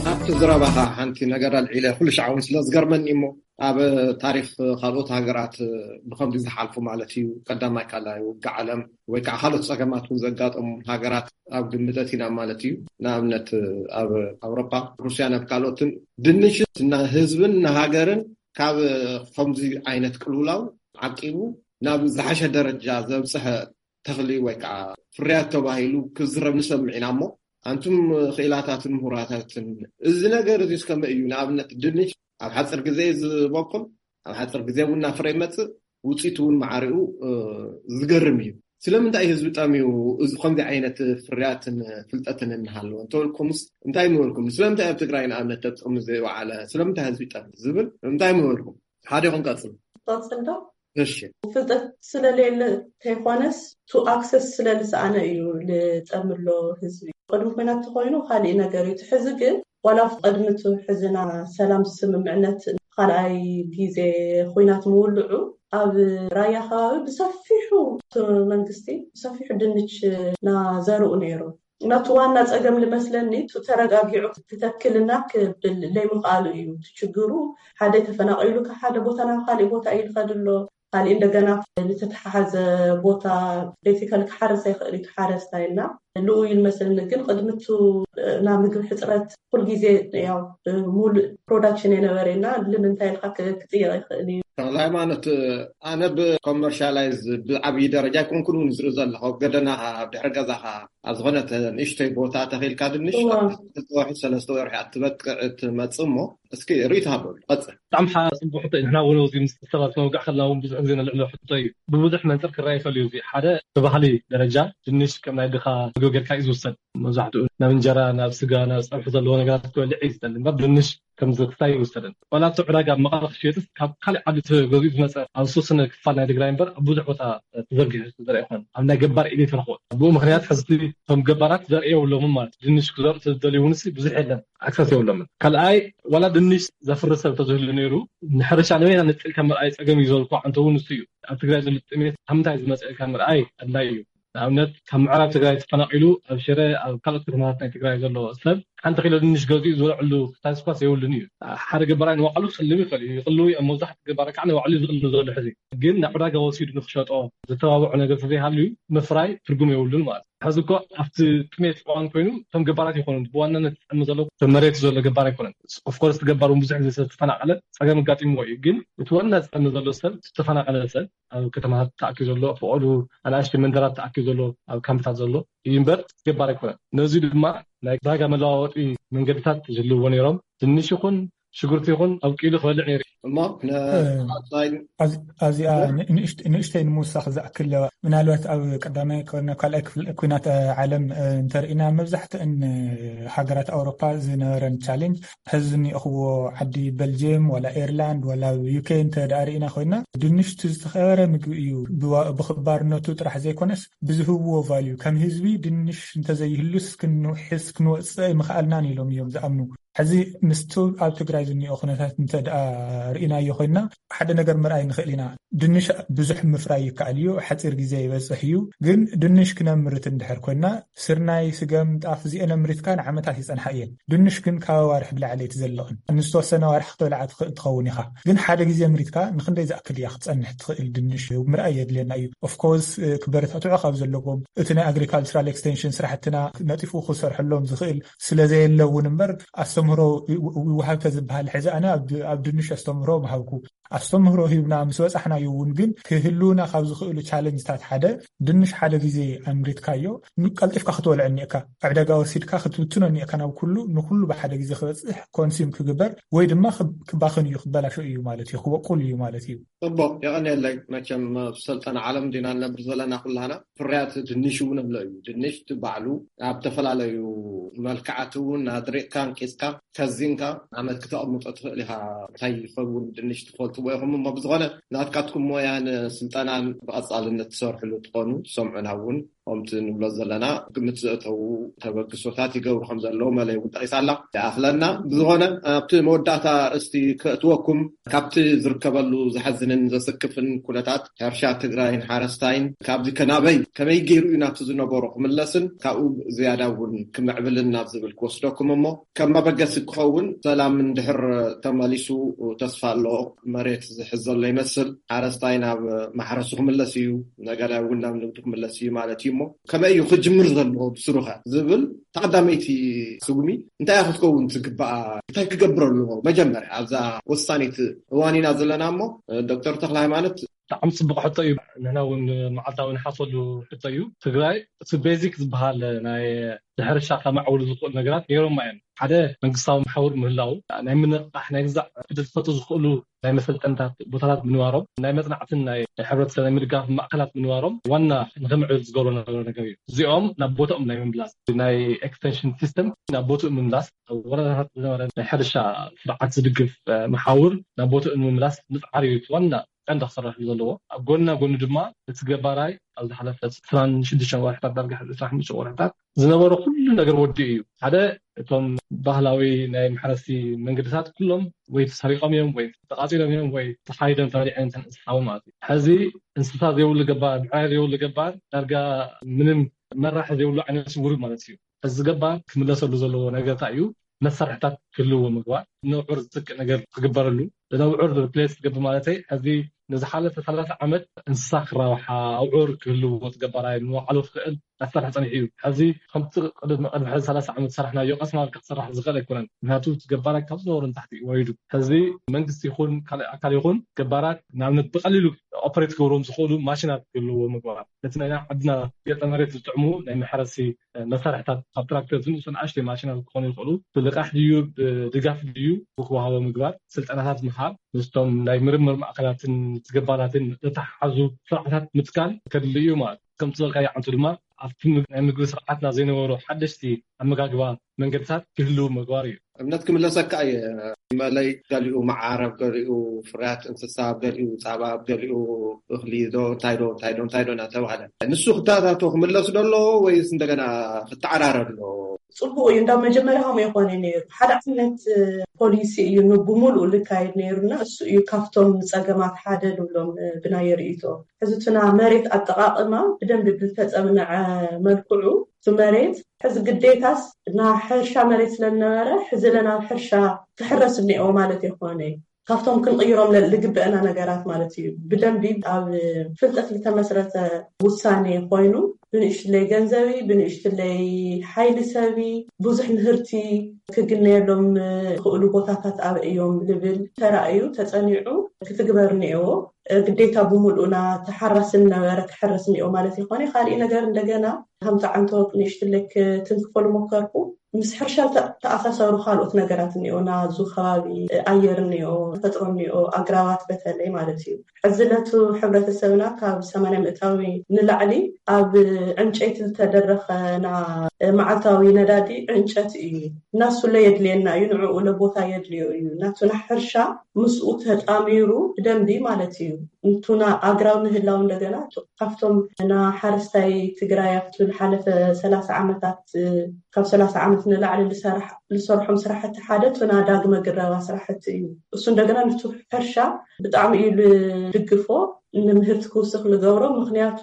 ካብቲ ዝረባኻ ሓንቲ ነገር ኣልዒለ፣ ኩሉ ሻዕ እውን ስለ ዝገርመኒ እሞ፣ ኣብ ታሪኽ ካልኦት ሃገራት ብኸምዚ ዝሓልፉ ማለት እዩ፣ ቀዳማይ ካልኣይ ውግእ ዓለም ወይ ከዓ ካልኦት ፀገማት እውን ዘጋጠሙ ሃገራት ኣብ ግምት ኣእቲና ማለት እዩ። ንኣብነት ኣብ ኣውሮፓ፣ ሩስያን ኣብ ካልኦትን ድንሽ ንህዝብን ንሃገርን ካብ ከምዚ ዓይነት ቅልውላው ዓቂቡ ናብ ዝሓሸ ደረጃ ዘብፅሐ ተኽሊ ወይ ከዓ ፍርያት ተባሂሉ ክዝረብ ንሰምዕ ኢና። እሞ ኣንቱም ክኢላታትን ምሁራታትን፣ እዚ ነገር እዚ ከመይ እዩ? ንኣብነት ድንሽ ኣብ ሓፂር ግዜ እዩ ዝበቁል፣ ኣብ ሓፂር ግዜ እውን እናፍረ ይመፅእ፣ ውፅኢቱ እውን ማዕሪኡ፣ እ፣ ዝገርም እዩ። ስለምንታይ ህዝቢ ጠምዩ እዚ ከምዚ ዓይነት ፍርያትን ፍልጠትን እናሃለወ እንተበልኩምስ እንታይ ምበልኩም? ስለምንታይ ኣብ ትግራይ ንኣብነት ኣብ ጥቕሚ ዘይወዓለ? ስለምንታይ ህዝቢ ጠምዩ ዝብል እንታይ ምበልኩም? ሓደ ይኹን ቀፅል። ቀፅል ዶ? እሺ። ፍልጠት ስለሌለ እንተይኮነስ፣ ቱ ኣክሰስ ስለዝሰኣነ እዩ ልጠምሎ ህዝቢ። ቅድሚ ኩናት ተኮይኑ ካሊእ ነገር እዩ። እቲ ሕዚ ግን ዋላ ቅድሚ እቲ ሕዚ ና ሰላም ስምምዕነት ካልኣይ ግዜ ኩናት ምውልዑ ኣብ ራያ ከባቢ ብሰፊሑ እቲ መንግስቲ ብሰፊሑ ድንች ናዘርኡ ነይሩ። ናቱ ዋና ጸገም ልመስለኒ፣ ቱ ተረጋጊዑ ክተክልና ክብል ለይምኽኣሉ እዩ እቲ ችግሩ። ሓደ ተፈናቒሉ ካብ ሓደ ቦታ ናብ ካሊእ ቦታ እዩ ዝኸድ ኣሎ። ካሊእ እንደገና ዝተተሓሓዘ ቦታ ቤዚካሊ ክሓርስ ኣይኽእል እዩ፣ ተሓረስታይ እና ልኡ እዩ ልመስለኒ። ግን ቅድሚ ቱ ናብ ምግቢ ሕፅረት ኩል ግዜ ያው ሙሉእ ፕሮዳክሽን የነበረ እና ልምንታይ ኢልካ ክ-፣ ክጥየቕ ይኽእል እዩ። ተኽለ ሃይማኖት፣ ኣነ ብኮመርሻላይዝ ብዓብዪ ደረጃ ኣይኮንኩን እውን ዝርኢ ዘለኹ። ኣብ ገደናኻ፣ ኣብ ድሕሪ ገዛኻ ኣብ ዝኾነት ንእሽተይ ቦታ ተኺልካ ድንሽ እዋ። ካብ ክልተ ወርሒ ሰለስተ ወርሒ ኣትበቅዕ እትመጽእ እሞ፣ እስኪ ርእይቶ ሃበሉ። ቀጽል። ብጣዕሚ ሓ-፣ ጽቡቅ ሕቶ እዩ። ንሕና እውን ኣብዚ ምስ ሰባት ክንወግዕ ከለና እውን ብዙሕ ግዜ ነልዕሎ ሕቶ እዩ። ብብዙሕ መንጽር ክረኣ ይኽእል እዩ። እዚ ሓደ ብባህሊ ደረጃ ድንሽ ከም ናይ ድኻ ጌርካ እዩ ዝውሰድ። መብዛሕትኡ ናብ እንጀራ፣ ናብ ስጋ፣ ናብ ፀብሒ ዘለዎ ነገራት ክበልዕ እዩ ዝደሊ እምበር ድንሽ ከም ዝክታይ ይውሰደን። ዋላ እቲ ዕዳጋ ኣብ መቐለ ክሽየጥስ ካብ ካልእ ዓዲ ተገዚኡ ዝመፀ ኣብ ዝተወሰነ ክፋል ናይ ትግራይ እምበር ኣብ ብዙሕ ቦታ ተዘርጊሑ ዝተዘርአ ይኮን ኣብ ናይ ገባር ኢለ ተረክቦ። ብኡ ምክንያት ሕዝቲ እቶም ገባራት ዘርኢ የብሎምን ማለት እዩ። ድንሽ ክዘርኡ ዝደልዩ እውን ብዙሕ የለን፣ ኣክሰስ የብሎምን። ካልኣይ ዋላ ድንሽ ዘፍሪ ሰብ ተዝህሉ ነይሩ ንሕርሻ ንበይና ንጥልካ ምርኣይ ፀገም እዩ ዘልኩ። ኣንተ እውን እሱ እዩ ኣብ ትግራይ ዘሎ ጥሜት ካብ ምንታይ ዝመፀ ኢልካ ምርኣይ ኣድላይ እዩ። ንኣብነት ካብ ምዕራብ ትግራይ ተፈናቒሉ ኣብ ሽረ ኣብ ካልኦት ከተማታት ናይ ትግራይ ዘሎ ሰብ ሓንቲ ኪሎ ድንሽ ገዚኡ ዝበልዐሉ ክታስኳስ የብሉን እዩ። ሓደ ገባራይ ንባዕሉ ክስልም ይኽእል እዩ፣ ይቕልው እዩ። ኣብ መብዛሕትኡ ገባራይ ከዓ ንባዕሉ እዩ ዝቕልው ዘሎ ሕዚ። ግን ናብ ዕዳጋ ወሲዱ ንክሸጦ ዝተባብዖ ነገር ተዘይሃልዩ ምፍራይ ትርጉም የብሉን ማለት እዩ። ሕዚ እኮ ኣብቲ ጥሜት እዋን ኮይኑ እቶም ገባራት ይኮኑ ብዋናነት ዝጠሚ ዘሎ መሬት ዘሎ ገባር ኣይኮነን። ኦፍኮርስ ገባር እውን ብዙሕ ግዜ ዝተፈናቀለ ፀገም ኣጋጢምዎ እዩ። ግን እቲ ዋና ዝጠሚ ዘሎ ሰብ ዝተፈናቀለ ሰብ ኣብ ከተማታት ተኣኪቡ ዘሎ፣ ፈቐዱ ኣናእሽተይ መንደራት ተኣኪቡ ዘሎ፣ ኣብ ካምፕታት ዘሎ እዩ እምበር ገባር ኣይኮነን። ነዚ ድማ ናይ ዕዳጋ መለዋወጢ መንገድታት ዝህልዎ ነይሮም። ድንሽ ይኹን ሽጉርቲ ይኹን ኣብቂሉ ክበልዕ ነይሩ። እሞ ኣብዚኣ ንእሽተይ ንምውሳኽ ዝኣክል ለዋ ምናልባት ኣብ ቀዳማይ ናብ ካልኣይ ክፍል ኩናት ዓለም እንተርኢና መብዛሕትእን ሃገራት ኣውሮፓ ዝነበረን ቻሌንጅ ሕዚ ዝኒኦኽዎ ዓዲ በልጅየም ዋላ ኤርላንድ ዋላ ዩኬ እንተ ደኣ ርኢና ኮይና ድንሽ እቲ ዝተኸበረ ምግቢ እዩ። ብክባርነቱ ጥራሕ ዘይኮነስ ብዝህብዎ ቫልዩ ከም ህዝቢ ድንሽ እንተዘይህሉስ ክንውሕስ ክንወፅእ ኣይምኽኣልናን ኢሎም እዮም ዝኣምኑ። ሕዚ ምስቲ ኣብ ትግራይ ዝኒኦ ኩነታት እንተ ደኣ ርኢናዮ ኮይና ሓደ ነገር ምርኣይ ንኽእል ኢና። ድንሽ ብዙሕ ምፍራይ ይከኣል እዩ፣ ሓፂር ግዜ ይበፅሕ እዩ። ግን ድንሽ ክነምርት እንድሕር ኮይና ስርናይ፣ ስገም፣ ጣፍ እዚአን ኣምሪትካ ንዓመታት ይፀንሓ እየን። ድንሽ ግን ካብ ኣዋርሕ ብላዕሊ ኣይትዘልቕን። ንዝተወሰነ ኣዋርሕ ክትበልዓ ትኽእል ትኸውን ኢኻ። ግን ሓደ ግዜ ኣምሪትካ ንክንደይ ዝኣክል እያ ክትፀንሕ ትኽእል ድንሽ ምርኣይ የድልየና እዩ። ኦፍኮርስ ክበረታትዑ ካብ ዘለዎም እቲ ናይ ኣግሪካልቸራል ኤክስቴንሽን ስራሕትና ነጢፉ ክሰርሐሎም ዝኽእል ስለዘየለ እውን እምበር ኣስተምህሮ ይወሃብ ተዝበሃል ሕዚ ኣነ ኣብ ድንሽ ኣስተምህሮ ምሃብኩ። ኣስተምህሮ ሂብና ምስ በፃሕናዮ እውን ግን ክህልውና ካብ ዝኽእሉ ቻለንጅታት ሓደ ድንሽ ሓደ ግዜ ኣምሪትካዮ ቀልጢፍካ ክትበልዖ እኒኤካ፣ ዕዳጋ ወሲድካ ክትብትኖ እኒኤካ ናብ ኩሉ ንኩሉ ብሓደ ግዜ ክበፅሕ ኮንሲም ክግበር ወይ ድማ ክባኽን እዩ ክበላሾ እዩ ማለት እዩ ክበቁል እዩ ማለት እዩ። ፅቡቅ የቐንየለይ። መቸም ኣብ ሰልጠነ ዓለም ዲና ንነብር ዘለና ኩላና ፍርያት ድንሽ እውን ኣሎ እዩ። ድንሽ ባዕሉ ኣብ ዝተፈላለዩ መልክዓት እውን ኣድሪቕካ ኣንቂፅካ ከዚንካ ዓመት ክተቕምጦ ትኽእል ኢኻ። እንታይ ይኸውን ድንሽ ትፈልጥዎ ኢኹም እሞ ብዝኾነ ናትካትኩም ሞያን ስልጠናን ብቐፃልነት ትሰርሕሉ ትኾኑ ትሰምዑና እውን ከምቲ ንብሎ ዘለና ግምት ዘእተዉ ተበግሶታት ይገብሩ ከም ዘለዉ መለይ እውን ጠቂሳ ኣላ ይኣኽለና። ብዝኾነ ኣብቲ መወዳእታ እስቲ ከእትወኩም ካብቲ ዝርከበሉ ዘሐዝንን ዘስክፍን ኩነታት ሕርሻ ትግራይን ሓረስታይን ካብዚ ከናበይ ከመይ ገይሩ እዩ ናብቲ ዝነበሮ ክምለስን ካብኡ ዝያዳ እውን ክምዕብልን ናብ ዝብል ክወስደኩም እሞ ከም መበገሲ ክኸውን ሰላም እንድሕር ተመሊሱ ተስፋ ኣሎ። መሬት ዝሕዝ ዘሎ ይመስል። ሓረስታይ ናብ ማሕረሱ ክምለስ እዩ፣ ነጋዳይ እውን ናብ ንግዱ ክምለስ እዩ ማለት እዩ። እሞ ከመይ እዩ ክጅምር ዘለዎ ብስሩኸ ዝብል ተቐዳመይቲ ስጉሚ እንታይ ክትከውን ትግባኣ? እንታይ ክገብር ኣለዎ? መጀመርያ ኣብዛ ወሳኒት እዋን ኢና ዘለና። እሞ ዶክተር ተክለ ሃይማኖት፣ ብጣዕሚ ፅቡቅ ሕቶ እዩ። ንሕና እውን መዓልታዊ ንሓሰሉ ሕቶ እዩ። ትግራይ እቲ ቤዚክ ዝበሃል ናይ ሕርሻ ከማዕብሉ ዝኽእሉ ነገራት ነይሮማ እዮም። ሓደ መንግስታዊ መሓውር ምህላው፣ ናይ ምንቕቃሕ ናይ ግዛዕ ዕድል ክፈጥሩ ዝኽእሉ ናይ መሰልጠንታት ቦታታት ምንባሮም፣ ናይ መፅናዕትን ናይ ሕብረተሰብ ናይ ምድጋፍ ማእከላት ምንባሮም ዋና ንክምዕብል ዝገብሮ ነበረ ነገር እዩ። እዚኦም ናብ ቦታኦም ናይ ምምላስ ናይ ኤክስቴንሽን ሲስተም ናብ ቦትኡ ምምላስ ወረዳታት ዝነበረ ናይ ሕርሻ ስርዓት ዝድግፍ መሓውር ናብ ቦትኡ ንምምላስ ምፅዓር እዩ ዋና ቀንዲ ክስራሕ እዩ ዘለዎ። ኣብ ጎንና ጎኒ ድማ እቲ ገባራይ ኣብ ዝሓለፈ ዕስራን ሽዱሽተን ወርሕታት ዳርጋ ሕዚ ዕስራን ሓሙሽተ ወርሕታት ዝነበሮ ኩሉ ነገር ወዲኡ እዩ። ሓደ እቶም ባህላዊ ናይ መሕረሲ መንገድታት ኩሎም ወይ ተሰሪቆም እዮም ወይ ተቃፂሎም እዮም ወይ ተሓይዶም ተበሊዐን እንስሳውን ማለት እዩ። ሕዚ እንስሳ ዘይብሉ ገባር፣ ብዕራይ ዘይብሉ ገባር ዳርጋ ምንም መራሒ ዘይብሉ ዓይነት ስውር ማለት እዩ። እዚ ገባር ክምለሰሉ ዘለዎ ነገር እንታይ እዩ? መሳርሕታት ክህልዎ ምግባር፣ ነብዑር ዝትክእ ነገር ክግበረሉ። ነብዑር ሪፕሌስ ክገብር ማለተይ ሕዚ ንዝሓለፈ ሰላሳ ዓመት እንስሳ ክራብሓ ኣውዑር ክህልዎ ገባራይ ንባዕሉ ክኽእል ኣሰርሕ ፀኒሑ እዩ። ሕዚ ከምቲ ቅድሚ ቅድሚ ሕዚ ሰላሳ ዓመት ዝሰራሕናዮ ቀስ እናበልካ ክስራሕ ዝኽእል ኣይኮነን። ምክንያቱ ገባራይ ካብ ዝነበሩ ንታሕቲ ወሪዱ። ሕዚ መንግስቲ ይኹን ካልእ ኣካል ይኹን ገባራት ንኣብነት ብቀሊሉ ኦፐሬት ክገብርዎም ዝኽእሉ ማሽናት ክህልዎ ምግባር። ነቲ ናይ ዓድና ገፀ መሬት ዝጥዕሙ ናይ መሕረሲ መሳርሕታት ካብ ትራክተር ዝንእሱ ንኣሽተይ ማሽናት ክኾኑ ይኽእሉ። ብልቃሕ ድዩ ብድጋፍ ድዩ ክወሃቦ ምግባር፣ ስልጠናታት ምሃብ፣ ምስቶም ናይ ምርምር ማእከላትን ገባራትን ዝተተሓሓዙ ስርዓታት ምትካል ከድሊ እዩ ማለት እዩ። ከምቲ ዝበልካዮ ዓንቱ ድማ ኣብቲ ናይ ምግቢ ስርዓትና ዘይነበሩ ሓደሽቲ ኣመጋግባ መንገድታት ክህልው ምግባር እዩ። እምነት ክምለሰካ እየ። መለይ ገሊኡ መዓር፣ ኣብ ገሊኡ ፍርያት እንስሳ፣ ኣብ ገሊኡ ፃባ፣ ኣብ ገሊኡ እኽሊ ዶ እንታይ ዶ እንታይ ዶ እንታይ ዶ እናተባህለ ንሱ ክተኣታቶ ክምለስ ዶ ኣለዎ ወይስ እንደገና ክተዓራረ ኣለዎ? ፅቡቅ እዩ። እንዳ መጀመሪያ ከም የኮነ ነይሩ ሓደ ዓይነት ፖሊሲ እዩ ብሙሉኡ ልካየድ ነይሩና። እሱ እዩ ካብቶም ፀገማት ሓደ ንብሎም ብናይ ርእይቶ ሕዝቱና መሬት ኣጠቃቅማ ብደንብ ብልተፀምነዐ መልክዑ እቲ መሬት ሕዚ ግዴታስ ናብ ሕርሻ መሬት ስለዝነበረ ሕዚ ለናብ ሕርሻ ክሕረስ እኒኦ ማለት የኮነ ካብቶም ክንቕይሮም ልግበአና ነገራት ማለት እዩ። ብደንቢ ኣብ ፍልጠት ዝተመስረተ ውሳኔ ኮይኑ ብንእሽትለይ ገንዘቢ ብንእሽትለይ ሓይሊ ሰቢ ብዙሕ ምህርቲ ክግነየሎም ክእሉ ቦታታት ኣበ እዮም ልብል ተራእዩ ተጸኒዑ ክትግበር እኒኦ። ግዴታ ብምልኡና ተሓራስን ነበረ ክሕረስ እኒኦ ማለት ይኮነ። ካሊእ ነገር እንደገና ሃምታ ዓንቶ ንእሽትለይ ክትንክፈሉ ሞከርኩ። ምስ ሕርሻ ተኣሳሰሩ ካልኦት ነገራት እኒኦ ናዙ ከባቢ ኣየር እኒኦ ተፈጥሮ እኒኦ ኣግራባት በተለይ ማለት እዩ። ሕዚ ለቱ ሕብረተሰብና ካብ ሰማንያ ምእታዊ ንላዕሊ ኣብ ዕንጨይቲ ዝተደረኸና መዓልታዊ ነዳዲ ዕንጨት እዩ። እናሱለ የድልየና እዩ ንዕኡ ለቦታ የድልዮ እዩ ናቱና ሕርሻ ምስኡ ተጣሚሩ ብደንቢ ማለት እዩ። እንቱና ኣግራብ ምህላው እንደገና ካብቶም ና ሓረስታይ ትግራይ ኣብቲ ዝሓለፈ ሰላሳ ዓመታት ካብ ሰላሳ ዓመት ንላዕሊ ዝሰርሖም ስራሕቲ ሓደ ቱና ዳግመ ግረባ ስራሕቲ እዩ። እሱ እንደገና ንቱ ሕርሻ ብጣዕሚ እዩ ልድግፎ ንምህርቲ ክውስኽ ልገብሮ። ምክንያቱ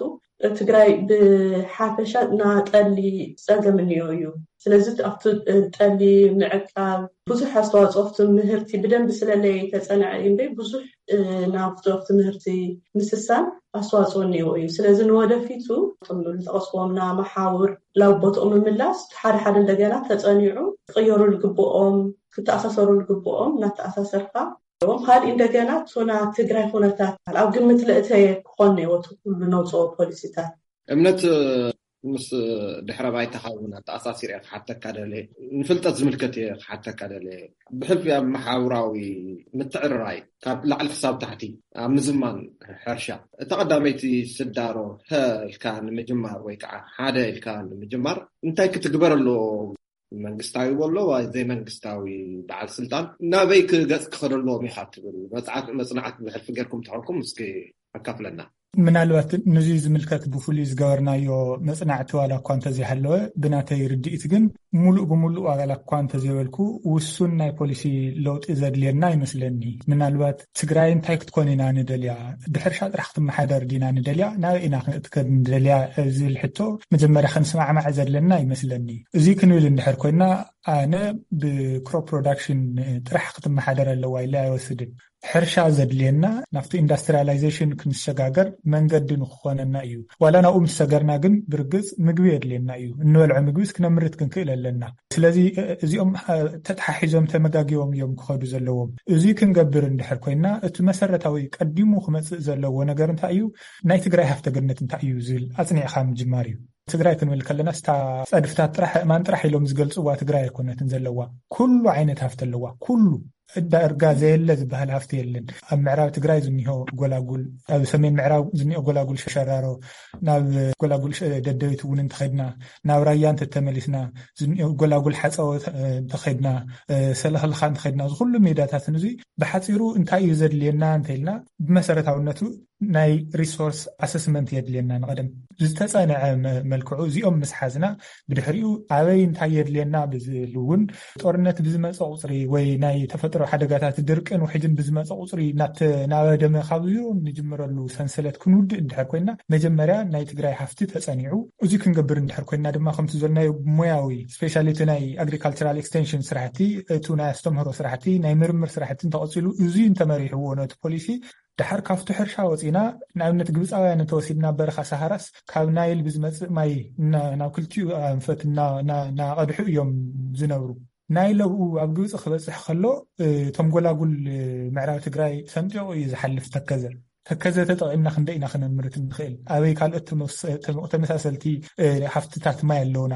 ትግራይ ብሓፈሻ ናጠሊ ፀገም እኒኦ እዩ። ስለዚ ኣብቲ ጠሊ ምዕቃብ ብዙሕ ኣስተዋፅኦ ኣብቲ ምህርቲ ብደንብ ስለለይ ተፀንዐ እምበይ ብዙሕ ናብቲ ኣብቲ ምህርቲ ምስሳን ኣስተዋፅኦ እኒኦ እዩ። ስለዚ ንወደፊቱ ዝጠቐስዎም ና መሓውር ላብ ቦትኦም ምምላስ ሓደ ሓደ እንደገና ተፀኒዑ ክቅየሩ ልግብኦም ክተኣሳሰሩ ልግብኦም እናተኣሳሰርካ ዎም ካልእ እንደገና ቶና ትግራይ ኩነታት ኣብ ግምት ለእተየ ክኾን ነይወቱ ኩሉ ነውፅኦ ፖሊሲታት። እምነት ምስ ድሕረ ባይታኻ እውን ኣተኣሳሲር እየ ክሓተካ ደለ ንፍልጠት ዝምልከት እየ ክሓተካ ደለ ብሕልፊ ኣብ መሓውራዊ ምትዕርራይ ካብ ላዕሊ ክሳብ ታሕቲ ኣብ ምዝማን ሕርሻ እታ ቀዳመይቲ ስዳሮ ሀ ኢልካ ንምጅማር ወይ ከዓ ሓደ ኢልካ ንምጅማር እንታይ ክትግበር ኣለዎ? መንግስታዊ በሎ ዘይመንግስታዊ በዓል ስልጣን ናበይ ክገፅ ክኸደልዎም ኢኻ ትብል መፅናዕት ብሕልፊ ገርኩም ተኾንኩም እስኪ ኣካፍለና። ምናልባት ንዙ ዝምልከት ብፍሉይ ዝገበርናዮ መፅናዕቲ ዋላ እኳ እንተዘይሃለወ ብናተይ ርድኢት ግን ሙሉእ ብሙሉእ ዋላ እኳ እንተዘይበልኩ ውሱን ናይ ፖሊሲ ለውጢ ዘድልየና ይመስለኒ። ምናልባት ትግራይ እንታይ ክትኮን ኢና ንደልያ? ብሕርሻ ጥራሕ ክትመሓደር ዲና ንደልያ? ናበይ ኢና ክንእትከድ ንደልያ? ዝብል ሕቶ መጀመርያ ክንስማዕማዕ ዘድለና ይመስለኒ። እዚ ክንብል እንድሕር ኮይና ኣነ ብክሮፕ ፕሮዳክሽን ጥራሕ ክትመሓደር ኣለዋ ኢለ ኣይወስድን። ሕርሻ ዘድልየና ናብቲ ኢንዳስትሪያላይዜሽን ክንሰጋገር መንገዲ ንክኾነና እዩ። ዋላ ናብኡ ምስ ሰገርና ግን ብርግፅ ምግቢ የድልየና እዩ። እንበልዖ ምግቢስ ክነምርት ክንክእል ኣለና። ስለዚ እዚኦም ተተሓሒዞም ተመጋጊቦም እዮም ክኸዱ ዘለዎም። እዚ ክንገብር እንድሕር ኮይና እቲ መሰረታዊ ቀዲሙ ክመፅእ ዘለዎ ነገር እንታይ እዩ? ናይ ትግራይ ሃፍተ ገነት እንታይ እዩ ዝብል ኣፅኒዕካ ምጅማር እዩ። ትግራይ ክንብል ከለና ስታ ፀድፍታት ጥራሕ እማን ጥራሕ ኢሎም ዝገልፅዋ ትግራይ ኣይኮነትን ዘለዋ። ኩሉ ዓይነት ሃፍቲ ኣለዋ። ኩሉ ዳርጋ ዘየለ ዝበሃል ሃፍቲ የለን። ኣብ ምዕራብ ትግራይ ዝኒሆ ጎላጉል፣ ኣብ ሰሜን ምዕራብ ዝኒኦ ጎላጉል ሸራሮ፣ ናብ ጎላጉል ደደቢት እውን እንተኸድና፣ ናብ ራያ እንተተመሊስና ዝኒኦ ጎላጉል ሓፀወ እንተኸድና፣ ሰለኽልኻ እንተኸድና ዝኩሉ ሜዳታት እዚ ብሓፂሩ እንታይ እዩ ዘድልየና እንተኢልና ብመሰረታውነቱ ናይ ሪሶርስ ኣሰስመንት የድልየና። ንቐደም ዝተፀንዐ መልክዑ እዚኦም ምስ ሓዝና ብድሕሪኡ ኣበይ እንታይ የድልየና ብዝብል እውን ጦርነት ብዝመፀ ቁፅሪ ወይ ናይ ተፈጥሮ ሓደጋታት ድርቅን ውሕጅን ብዝመፀ ቁፅሪ ናበደመ ካብ ዚሮ ንጅምረሉ ሰንሰለት ክንውድእ እንድሕር ኮይና መጀመርያ ናይ ትግራይ ሃፍቲ ተፀኒዑ እዚ ክንገብር እንድሕር ኮይና ድማ ከምቲ ዘልናዮ ሞያዊ ስፔሻሊ እቲ ናይ ኣግሪካልቸራል ኤክስቴንሽን ስራሕቲ እቱ ናይ ኣስተምህሮ ስራሕቲ ናይ ምርምር ስራሕቲ እንተቐፂሉ እዚ እንተመሪሕዎ ነቲ ፖሊሲ ድሓር ካብቲ ሕርሻ ወፂና ንኣብነት ግብፃውያን እንተወሲድና በረኻ ሰሃራስ ካብ ናይል ብዝመፅእ ማይ ናብ ክልቲኡ ኣንፈት እናቐድሑ እዮም ዝነብሩ። ናይል ኣብኡ ኣብ ግብፂ ክበፅሕ ከሎ እቶም ጎላጉል ምዕራብ ትግራይ ሰንጢቑ እዩ ዝሓልፍ ተከዘ። ተከዘ ተጠቒምና ክንደይ ኢና ክነምርት ንኽእል? ኣበይ ካልኦት ተመስ- ተመ- ተመሳሰልቲ እ፣ ሃፍትታት ማይ ኣለውና?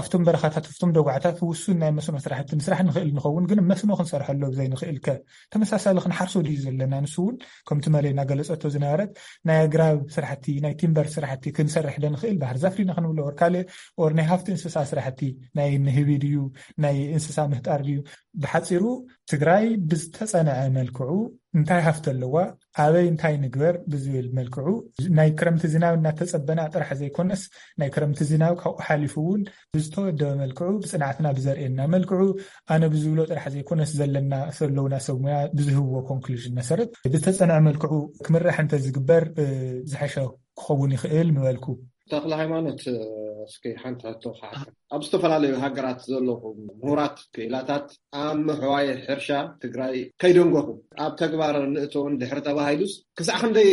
ኣብቶም በረኻታት፣ ኣብቶም ደጉዓታት ውሱን ናይ መስኖ ስራሕቲ ምስራሕ ንኽእል ንኸውን፣ ግን መስኖ ክንሰርሐሉ ዘይንኽእል ከ? ተመሳሳሊ ክንሓርሶ ድዩ ዘለና? ንሱ እውን ከምቲ መለይ እናገለጸቶ ዝነበረት ናይ ኣግራብ ስራሕቲ፣ ናይ ቲምበር ስራሕቲ ክንሰርሕ ዶ ንኽእል? ባህር ዛፍ ዲና ክንብሎ ወር ካልእ፣ ኦር ናይ ሃፍቲ እንስሳ ስራሕቲ፣ ናይ ንህቢ ድዩ፣ ናይ እንስሳ ምህጣር ድዩ? ብሓጺሩ ትግራይ ብዝተጸንዐ መልክዑ እንታይ ሃፍቲ ኣለዋ፣ ኣበይ እንታይ ንግበር ብዝብል መልክዑ፣ ናይ ክረምቲ ዝናብ እናተጸበና ጥራሕ ዘይኮነስ፣ ናይ ክረምቲ ዝናብ ካብኡ ሓሊፉ እውን ብዝተወደበ መልክዑ፣ ብጽንዓትና ብዘርእየና መልክዑ፣ ኣነ ብዝብሎ ጥራሕ ዘይኮነስ፣ ዘለና ዘለውና ሰብ ሙያ ብዝህብዎ ኮንክሉዥን መሰረት ብዝተጸንዐ መልክዑ ክምራሕ እንተዝግበር ዝሐሸ ክኸውን ይኽእል ምበልኩ። ተኽለ ሃይማኖት፣ እስኪ ሓንቲ ሕቶ ክሓተካ። ኣብ ዝተፈላለዩ ሃገራት ዘለኹም ምሁራት ክኢላታት ኣብ ምሕዋይ ሕርሻ ትግራይ ከይደንጎኹም ኣብ ተግባር ንእቶን ድሕሪ ተባሂሉስ ክሳዕ ክንደይ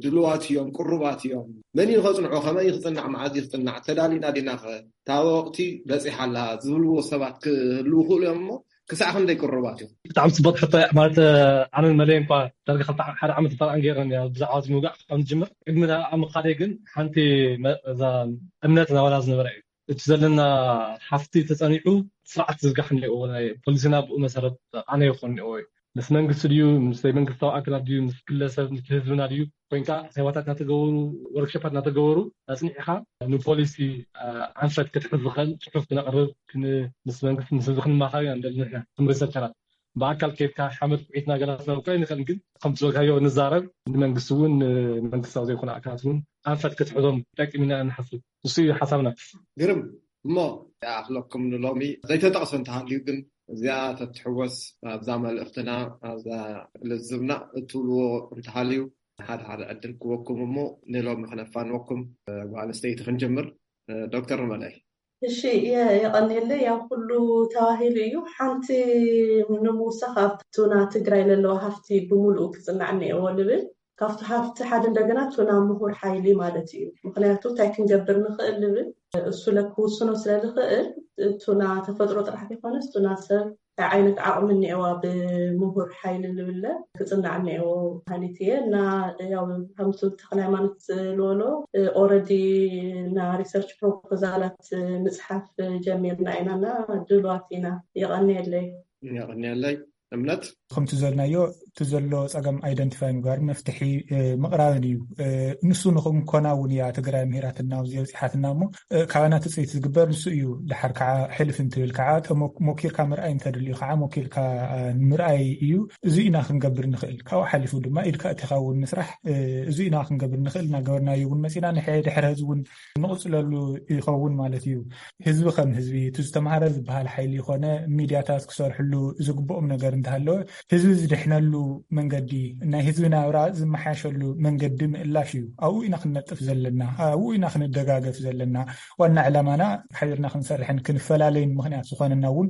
ድልዋት እዮም፣ ቅሩባት እዮም? መን እዩ ከጽንዖ? ከመይ ክጽናዕ? መዓዝ እዩ ክጽናዕ? ተዳሊና ዲና? ከ እታ ወቕቲ በጺሓ ኣላ ዝብልዎ ሰባት ክህልዉ ይኽእሉ እዮም። እሞ ክሳዕ ክንደይ ቅሩባት እዮም? ብጣዕሚ ጽቡቕ ሕቶ እያ። ማለት ኣነን መለይ እንኳ ዳርጋ ክልተ ሓደ ዓመት እንተርኣን ገይረን እያ ብዛዕባ እዚ ምውጋዕ ከም ዝጅምር። ቅድሚ ኣብ ምኻደይ ግን ሓንቲ መ- እዛ እምነት ናባና ዝነበረ እዩ። እቲ ዘለና ሃፍቲ ተጸኒዑ ስርዓት ዝዝጋሕ እኒኦ፣ ናይ ፖሊሲና ብኡ መሰረት ኣነ ይኾን እኒኦ እዩ። ምስ መንግስቲ ድዩ፣ ምስ ዘይመንግስታዊ ኣካላት ድዩ፣ ምስ ግለሰብ፣ ምስ ህዝብና ድዩ ኮይንካ፣ ኣኼባታት እናተገበሩ፣ ወርክሾፓት እናተገበሩ ኣጽኒዕኻ ንፖሊሲ ኣንፈት ክትሕዝ ዝኽእል ጽሑፍ ክነቕርብ፣ ክን- ምስ መንግስቲ፣ ምስ ህዝቢ ክንማኸር ኢና ንደሊ ንሕና ከም ሪሰርቸራት። ብኣካል ከይድካ ሓመድ ኩዒትና ገላ ክነውቅዕ ንኽእል፣ ግን ከምቲ ዝበልካዮ ንዛረብ፣ ንመንግስቲ እውን ንመንግስታዊ ዘይኮነ ኣካላት እውን ኣንፈት ክትሕዞም ጠቂምና ንሓስብ። ንሱ እዩ ሓሳብና። ግርም። እሞ ይኣኽለኩም ንሎሚ። ዘይተጠቕሰ እንተሃልዩ ግን እዚኣ ተትሕወስ ኣብዛ መልእኽትና፣ ኣብዛ ልዝብና እትብልዎ እንተሃልዩ፣ ሓደ ሓደ ዕድል ክወኩም እሞ ንሎሚ ክነፋንወኩም። ጓል ኣንስተይቲ ክንጅምር። ዶክተር መለይ። እሺ፣ የ- የቐንየለይ። ያው ኩሉ ተባሂሉ እዩ። ሓንቲ ንምውሳኽ ኣብቲ ቱና ትግራይ ለለዋ ሃፍቲ ብምሉኡ ክጽናዕ እኒኤዎ ልብል። ካብቲ ሃፍቲ ሓደ እንደገና ቱና ምሁር ሓይሊ ማለት እዩ። ምክንያቱ እንታይ ክንገብር ንኽእል ልብል እሱ ለክውስኖ ስለ ዝኽእል፣ ቱና ተፈጥሮ ጥራሕ ዘይኮነስ ቱና ሰብ እንታይ ዓይነት ዓቕሚ እኒኤዋ ብምሁር ሓይሊ ልብለ ክጽናዕ እኒኤዎ ሃኒት እየ። እና ያው ከምቱ ተክለ ሃይማኖት ዝበሎ ኦረዲ እና ሪሰርች ፕሮፖዛላት ምጽሓፍ ጀሚርና ኢና እና ድልዋት ኢና። የቐንየለይ። የቐንየለይ። እምነት። ከምቲ ዘልናዮ እቲ ዘሎ ፀገም ኣይደንቲፋይ ምግባር መፍትሒ ምቕራብን እዩ። ንሱ ንክንኮና እውን እያ ትግራይ ምሂራትና ኣብዚ ኣብፂሓትና እሞ ካባና ትፅቢት ዝግበር ንሱ እዩ። ድሓር ከዓ ሕልፍ እንትብል ከዓ ሞኪርካ ምርኣይ እንተድልዩ ከዓ ሞኪርካ ምርኣይ እዩ። እዚ ኢና ክንገብር ንኽእል። ካብኡ ሓሊፉ ድማ ኢድካ እቲኻ እውን ምስራሕ እዚ ኢና ክንገብር ንኽእል። እናገበርናዮ እውን መፂና ንድሕሪ ሕዚ እውን ንቕፅለሉ ይኸውን ማለት እዩ። ህዝቢ ከም ህዝቢ እቲ ዝተምሃረ ዝበሃል ሓይሊ ይኾነ ሚድያታት ክሰርሕሉ ዝግብኦም ነገር እንተሃለወ ህዝቢ ዝድሕነሉ መንገዲ ናይ ህዝቢ ናብራ ዝመሓየሸሉ መንገዲ ምእላሽ እዩ። ኣብኡ ኢና ክንነጥፍ ዘለና፣ ኣብኡ ኢና ክንደጋገፍ ዘለና። ዋና ዕላማና ሓቢርና ክንሰርሕን ክንፈላለይን ምኽንያት ዝኾነና እውን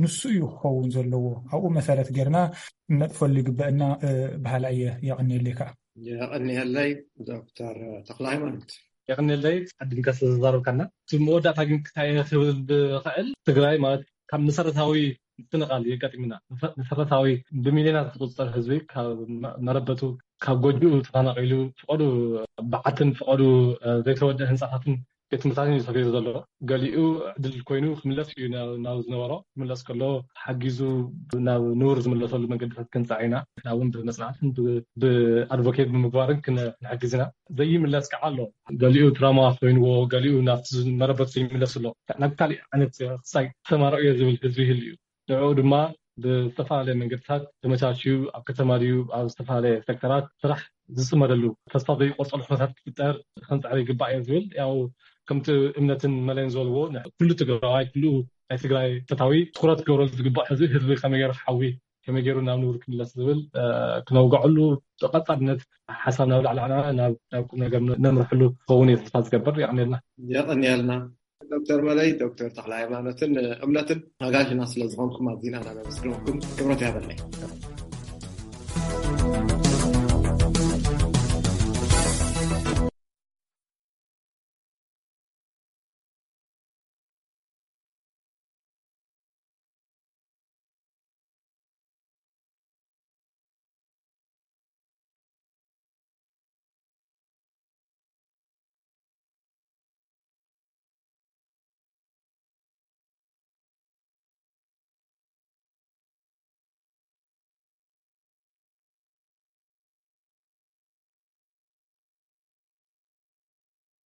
ንሱ እዩ ክኸውን ዘለዎ። ኣብኡ መሰረት ጌርና ክነጥፈሉ ይግበአና በሃላ እየ። የቐንየለይ ከዓ። የቐንየለይ ዶክተር ተክለ ሃይማኖት። የቐንየለይ ኣዲንካ ስለዝዛረብካና። እቲ መወዳእታ ግን ክታይ ክብል ብኽእል ትግራይ ማለት ካብ መሰረታዊ ምፍንቓል የጋጢምና። መሰረታዊ ብሚልዮናት ዝቁፀር ህዝቢ ካብ መረበቱ ካብ ጎጆኡ ተፈናቒሉ ፍቐዱ በዓትን ፍቐዱ ዘይተወደአ ህንፃታትን ቤት ትምህርታትን እዩ ሰፊሩ ዘሎ። ገሊኡ ዕድል ኮይኑ ክምለስ እዩ ናብ ዝነበሮ። ክምለስ ከሎ ሓጊዙ ናብ ንቡር ዝምለሰሉ መንገድታት ክንፃዕ ኢና። ንሕና እውን ብመፅናዕትን ብኣድቮኬት ብምግባርን ክንሕግዝ ኢና። ዘይምለስ ከዓ ኣሎ። ገሊኡ ትራማ ኮይንዎ፣ ገሊኡ ናብቲ መረበቱ ዘይምለስ ኣሎ። ናብ ካሊእ ዓይነት ክሳይ ተሰማርዑ እየ ዝብል ህዝቢ ይህሉ እዩ። ንዕኡ ድማ ብዝተፈላለየ መንገድታት ተመቻችዩ ኣብ ከተማ ድዩ ኣብ ዝተፈላለየ ሴክተራት ስራሕ ዝፅመደሉ ተስፋ ዘይቆርፀሉ ኩነታት ክፍጠር ክንፅዕር ይግባእ እየ ዝብል። ያው ከምቲ እምነትን መለይን ዝበልዎ ኩሉ ትግራዋይ ኩሉ ናይ ትግራይ ፈታዊ ትኩረት ክገብረሉ ዝግባእ ህዝቢ ህዝቢ ከመይ ገይሩ ክሓዊ ከመይ ገይሩ ናብ ንቡር ክምለስ ዝብል ክነውግዐሉ ብቐፃልነት ሓሳብ ናብ ላዕሊ ናብ ቁም ነገር ነምርሕሉ ክኸውን እየ ተስፋ ዝገብር። የቐንየልና። የቐንየልና። ዶክተር መለይ ዶክተር ተክለ ሃይማኖትን እምነትን ኣጋሽና ስለዝኾንኩም ኣዚና እናመስግነኩም ክብረት ያበለይ።